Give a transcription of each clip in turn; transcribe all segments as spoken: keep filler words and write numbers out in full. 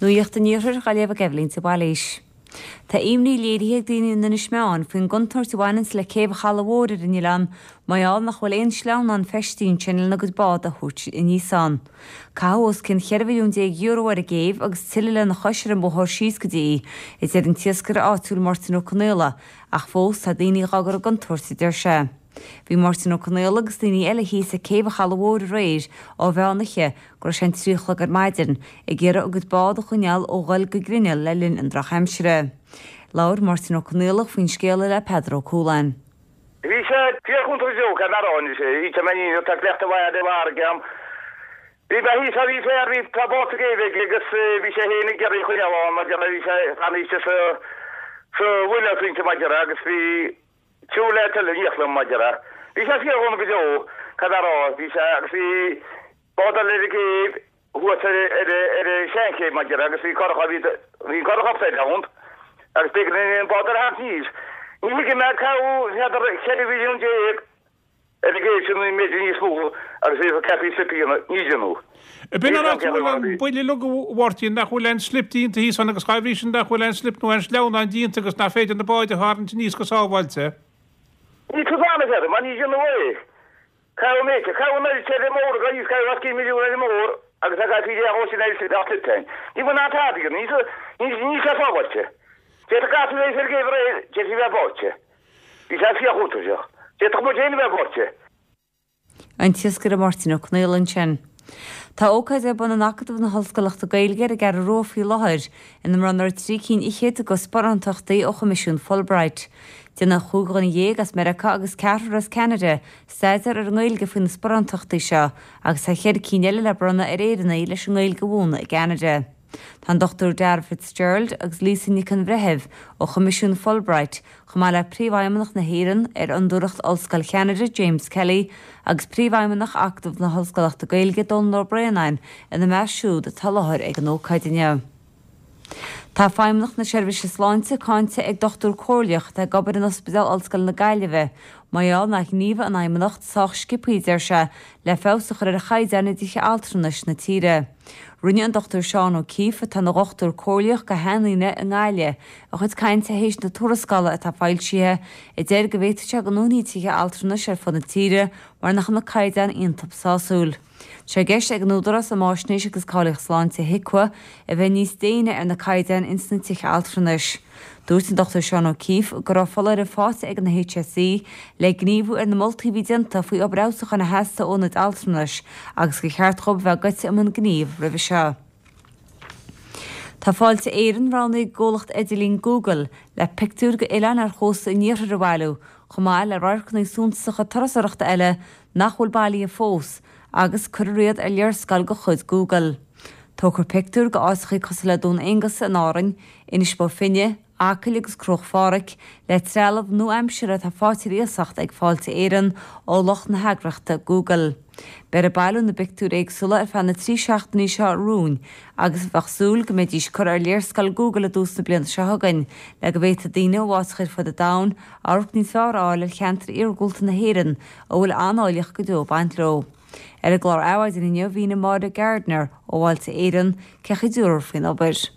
Nuacht an Iarthair á léamh ag Eibhlín de Bhailís. Tá imní léirithe ag daoine in Inis Meáin faoin gcontúirt a bhaineann le céibh an Chalaidh Mhóir ar an oileán mar gheall nach bhfuil aon sleamhnán feistithe ansin lena gcuid bád a thabhairt aníos ann. Caitheadh os cionn cheithre mhilliún déag euro ar an gcéibh agus tuilleadh lena chois ar an mbóthar síos go dtí í, a deir an t-iascaire áitiúil Máirtín Ó Conaola, ach fós tá daoine á gcur i gcontúirt, a deir sé. Bhí Máirtín Ó Conaola agus daoine eile thíos ag céibh an Chalaidh Mhóir aréir ó mheán oíche go raibh sé an trí a chlog ar maidin, ag iarraidh a gcuid bád a choinneáil ó dhul go grinneall le linn an drochaimsire. Labhair Máirtín Ó Conaola faoin scéal le Peadar Ó Cualáin. Bhí sé fíorchontúirteach go mbearán sé í mé tá cleachta bhaid i bhfarraige. Bhí be hí bhí féar bhí tá bá géibh agus bhí sé féin ag iarraidh choinneáil ann mar bhí sé aníste sa sa bhuile pointe maidir agus bhí Siúl le tuilleadh níochla maidir a. Bhí sé fíor-dhona go deo, cad a rá, bhí sé, agus bhí bád eile ar an gcéibh thuas ar ar ar an seanchéibh maidir agus bhí curach bhí bhí an curach upside down agus b'éigean an bád eile a tharraingt aníos. Ní thuigim é, caitheadh n'fheadar ceithre mhilliún déag ar an gcéibh sin nó b'fhéidir níos mó agus bhí ceapaí slip a dhéanamh, ní dhéanadh. B'in an áit a bhfuil an buille uilig a Mháirtín, nach bhfuil aon slip déanta thíos ann agus dhá bhrí sin nach bhfuil aon slip nó aon sleamhnán déanta agus nach féidir na báid a tharraingt aníos go sábháilte. Ní tugann air, mar ní dhéanadh é. Caitheadh an méid, caitheadh an oiread sin ar an mbóthar agus caitheadh os cionn milliún ar an mbóthar agus a caithfí é a dhó sin ar an slip féin. Ní bhfuil ná tada aige, ní níl sé sábháilte. D'fhéadfadh gasúr a bheith ar an gcéibh aréir, d'fhéadfaí a bheith báite. Bhí sé fíorchontúirteach. D'fhéadfadh muid féin a bheith báite. An t-iascaire Máirtín Ó Conaola ansin. Tá ócáid ar bun in Acadamh na hOllscolachta Gaeilge ar an gCeathrú Rua faoi láthair, ina mbronnfar trí cinn fhichead de sparántachtaí ó Choimisiún Fulbright. Déanfaidh cúig dhuine dhéag as Meiriceá agus ceathrar as Ceanada staidéar ar an nGaeilge faoi na sparántachtaí seo agus tá ceithre cinn eile le bronnadh ar Éireannaigh leis an nGaeilge a mhúineadh i gCeanada. Tá an Dochtúir Dara Fitzgerald agus Lisa Nic an Bhreithimh ó Choimisiún Fulbright, chomh maith le Príomhfheidhmeannach na hÉireann ar Fhondúireacht Ollscoil Cheanada, James Kelly, agus Príomhfheidhmeannach Acadamh na hOllscolachta Gaeilge, Dónal Ó Braonáin, ina measc siúd atá i láthair ag an ócáid inniu. Tá Feidhmeannacht na Seirbhíse Sláinte cáinte ag dochtúir comhairleach atá ag obair in Ospidéal Ollscoile na Gaillimhe mar gheall nár ghníomhaigh an Fheidhmeannacht sách sciobtha, a deir sé, le feabhas a chur ar chaighdeáin i dtithe altranais na tíre. Rinne an Dochtúir Seán O'Keeffe, atá ina dhochtúir comhairleach go shainaitheanta i nGaillimh, a chuid cainte théis na tuarascála atá foilsithe, a deir go bhféadfadh sé go ndúnfaí tithe altranais ar fud na tíre mar nach bhfuil na caighdeáin iontu sásúil. Tá sé i gceist ag an Údarás um Fháisnéis agus Cáilíocht Sláinte, HIQA, a bheith níos déine ar na caighdeáin ins na tithe altranais. Dúirt an Dochtúir Seán O'Keeffe go raibh foláireamh faighte ag an H S E le gníomhú ar na moltaí a bhí déanta faoi obair fheabhsúcháin a theastaigh ó ionaid altranais agus gur cheart dhóibh a bheith goite i mbun gnímh roimhe seo. Tá Fáilte Éireann roghnaithe ag an gcomhlacht idirlín Google le pictiúir d'oileáin ar chósta an iarthair a bhailiú, chomh maith le radharcanna suntasacha turasóireachta eile nach bhfuil bailithe fós, agus cuirfear iad ar léarscáil de chuid Google. Tógfar pictiúir d'áiteacha cosúil le Dún Aonghasa in Árainn, Inis Bó Finne, Acaill agus Cruach Phádraig, le trealamh nua-aimseartha atá faighte ar iasacht ag Fáilte Éireann ó lucht na heagraíochta Google. Beifear ag bailiú na bpictiúr éagsúla ar feadh na trí seachtainí seo romhainn agus bheadh súil go mbeidís curtha ar léarscáil Google i dtús na bliana seo chugainn le go bhféadfadh daoine ó áiteacha ar fud an domhain amharc níos fearr a fháil ar cheantar iargúlta na hÉireann a bhfuil an-áilleacht go deo ag baint leo. Ar an gclár Adhmhaidin inniu mhínigh Máire Gardiner ó Fháilte Éireann cé chomh dúr faoin obair.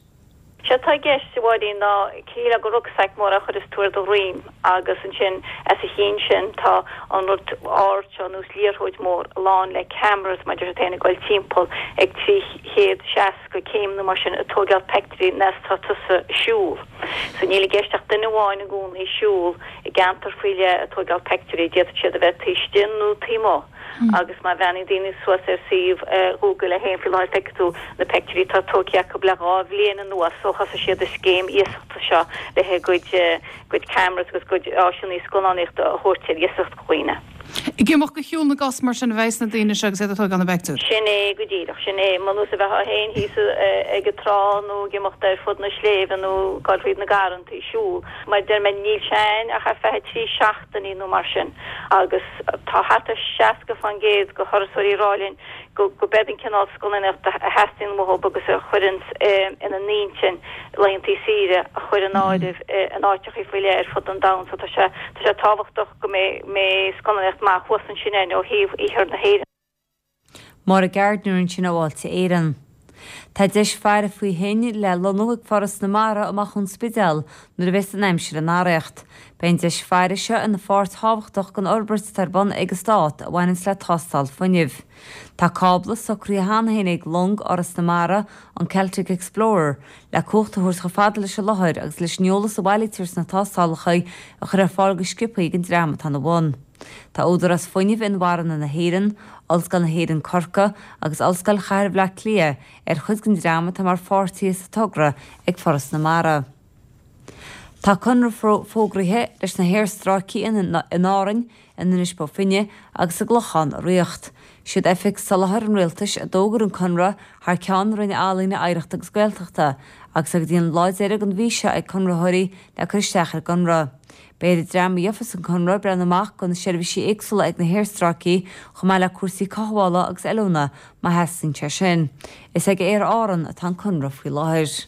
Sé atá i gceist, a Mháirín, ná cineál de rucksack mór a chuireas tú ar do dhroim agus ansin as a chionn sin tá an rud ard seo nós liathróid mór lán le cameras mar deir siad ag dul timpeall ag trí chéad seasca céim nó mar sin ag tógáil peictiúirí nes tá tusa ag siúl. So níl i gceist ach duine amháin i gcónaí ag siúl i gceantar faoi leith ag tógáil peictiúirí, d'fhéadfadh siad a bheith taobh istigh nó taobh amuigh. Agus má bhreathnaíonn daoine suas ar suíomh Google é féin faoi láthair feicfidh tú na peictiúirí atá tógtha acu le dhá bhliain anuas ó thosaigh siad an scéim iasachta seo le a gcuid gcuid cameras agus gcuid áiseanna scannánaíochta a thabhairt ar iasacht do dhaoine. Ag imeacht go shiúl na gcos mar sin a bheas na daoine seo agus iad ag tógáil na bpictiúr. Sin é go díreach, sin é. Mar nós a bheifeá féin thíos ag an trá nó ag imeacht ar fud na sléibhe nó ag dul fríd na garrantaí ag siúl. Mar a deir mé níl sé ann ach ar feadh trí seachtainí nó mar sin agus tá thart ar seasca faoin gcéad de thurasóirí ag rá linn go go b'é an cineál scannánaíochta a theastaíonn uathu agus a chuireann ina n-intinn laethanta saoire a chur in áireamh in áiteacha faoi leith ar fud an domhain. So tá sé tá sé tábhachtach go mbeidh mbeidh scannánaíocht maith thuas ansin ó thaobh iarthar na hÉireann. Máire Gardiner ansin ó Fháilte Éireann. Tá deis faire faoi thoinn le lonnú ag Foras na Mara amach ón Spidéal nuair a bheas an aimsir in arracht. Beidh an deis faire seo ina pháirt thábhachtach den fhorbairt atá ar bun ag an stát a bhaineanns le tástáil fuinnimh. Tá cábla socraithe cheana féin ag long Fhoras na Mara, an Celtic Explorer, le cumhacht a thabhairt chomh fada leis an láthair agus leis an eolas a bhailítear sna tástálacha a chur ar fáil go sciobtha don dream atá ina bhun. Tá Údarás Fuinnimh Inmharthana na hÉireann, Ollscoil na hÉireann Corcaigh agus Ollscoil Chathair Bhaile Átha Cliath ar chuid den dream atá mar pháirtithe sa togra ag Foras na Mara. Tá conradh fógraithe leis na haerstráicí in Árainn, in Inis Bó Finne agus i gClochán a ritheacht. Siad Oifig Soláthair an Rialtais a d'fhógair an conradh thar ceann na Roinne Ealaíne, Oidhreachta agus Gaeltachta agus go dtí an lá deiridh den mhí seo ag conraitheoirí le cur isteach ar an gconradh. Beidh ar an dream a gheofas an conradh breathnú amach do na seirbhísí éagsúla ag na haerstráicí chomh maith le cúrsaí cothabhála agus oiliúna má theastaíonn sé sin. Is ag Aer Árann atá an conradh faoi láthair.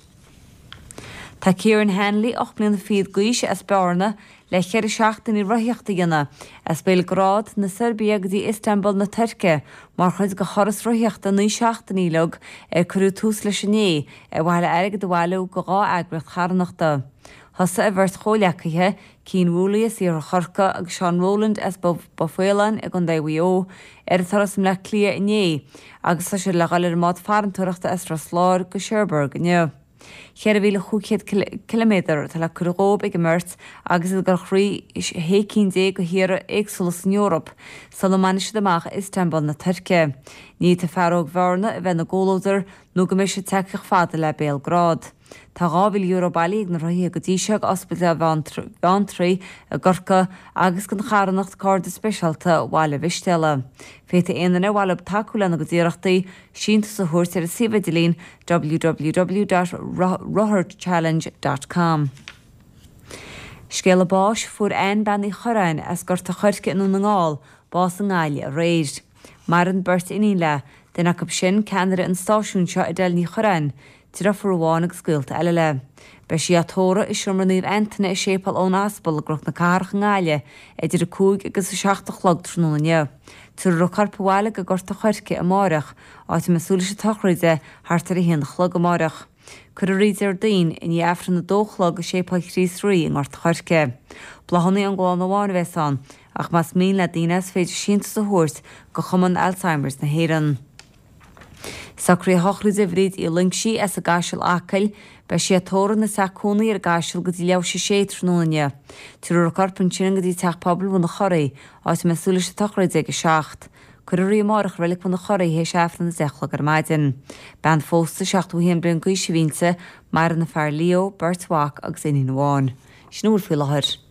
Tá Kieran Hanley ocht mbliana fichead d'aois as Bearna le ceithre seachtainí rothaíochta a dhéanamh as Béalgrád na Seirbia go dtí Istanbul na Tuirce mar chuid de thuras rothaíochta naoi seachtainí uilig ar cuireadh tús leis inné ar mhaithe le airgead a bhailiú do dhá eagraíocht charthanachta. Thosaigh a bheirt chomhghleacaithe, Cian Woolley as Iarthar Chorcaí agus Seán Rowland as Bó Faoláin i gContae Mhaigh Eo ar an turas i mBleá Cliath inné agus tá siad le dhul ar an mbád farantóireachta as Ros Láir go Cherbourg inniu. Ceithre mhíle chúig chéad ciliméadar atá le cur dhóibh ag an mbeirt agus iad ag dul thrí shé cinn déag de thíortha éagsúla san Eoraip sula mbainfidh siad amach Istanbul na Tuirce. Ní fhéadfaidh fear óg Bhearna a bheith ina gcomhluadar nó go mbeidh siad tagtha chomh fada le Béalgrád. Tá dhá mhíle euro bailithe ag na rothaithe go dtí seo ag Ospidéal Bheanntraí i gCorcaigh agus don charthanacht Cairde Speisialta Bhaile Mhistéala. Féadfaidh aon duine ar mhaith leo tacú lena gcuid iarrachtaí síntiús a thabhairt ar an suíomh idirlín www dot rotharchallenge dot com. Scéala báis fuair Anne Bean Uí Chorráin as Gort a' Choirce i nDún na nGall bás i nGaillimh aréir. Maireann beirt iníon léi, duine acu sin ceannaire an stáisiúin seo Edel Ní Chorráin, deirfiúr amháin agus gaolta eile léi. Beidh sí á tórramh i Seomra Naomh Antaine i Séipéal Eoin Aspal i gCnoc na Cathrach i nGaillimh idir a cúig agus a seacht a chlog tráthnóna inniu. Tabharfar a corp abhaile go Gort a' Choirce amáireach, áit a mbeidh súil leis an tsochraid thart ar a haon a chlog amáireach. Cuirfear í Déardaoin i ndiaidh Aifreann a dó a chlog i Séipéal Chríost Rí i nGort a' Choirce. Bláthanna ón gclann amháin a bheas ann, ach más mian le daoine is féidir síntiús a thabhairt go Chumann Alzheimer's na hÉireann. Socruithe shochraide Bhríd Uí Loingsigh as an gCaiseal Acaill, beidh sí á tórramh ina teach cónaí ar an gCaiseal go dtí leathuair théis a sé tráthnóna inniu. Tabharfar a corp ansin go dtí Teach Pobail Bhun an Churraigh, áit a mbeidh súil leis an tsochraid ag a seacht. Cuirfear í amárach i Reilig Bhun an Churraigh théis Aifreann a deich a chlog ar maidin. Bean phósta seachtó a haon bliain d'aois a bhí inti, maireann a fear Leo, beirt mhac agus iníon amháin. Sin a bhfuil faoi láthair.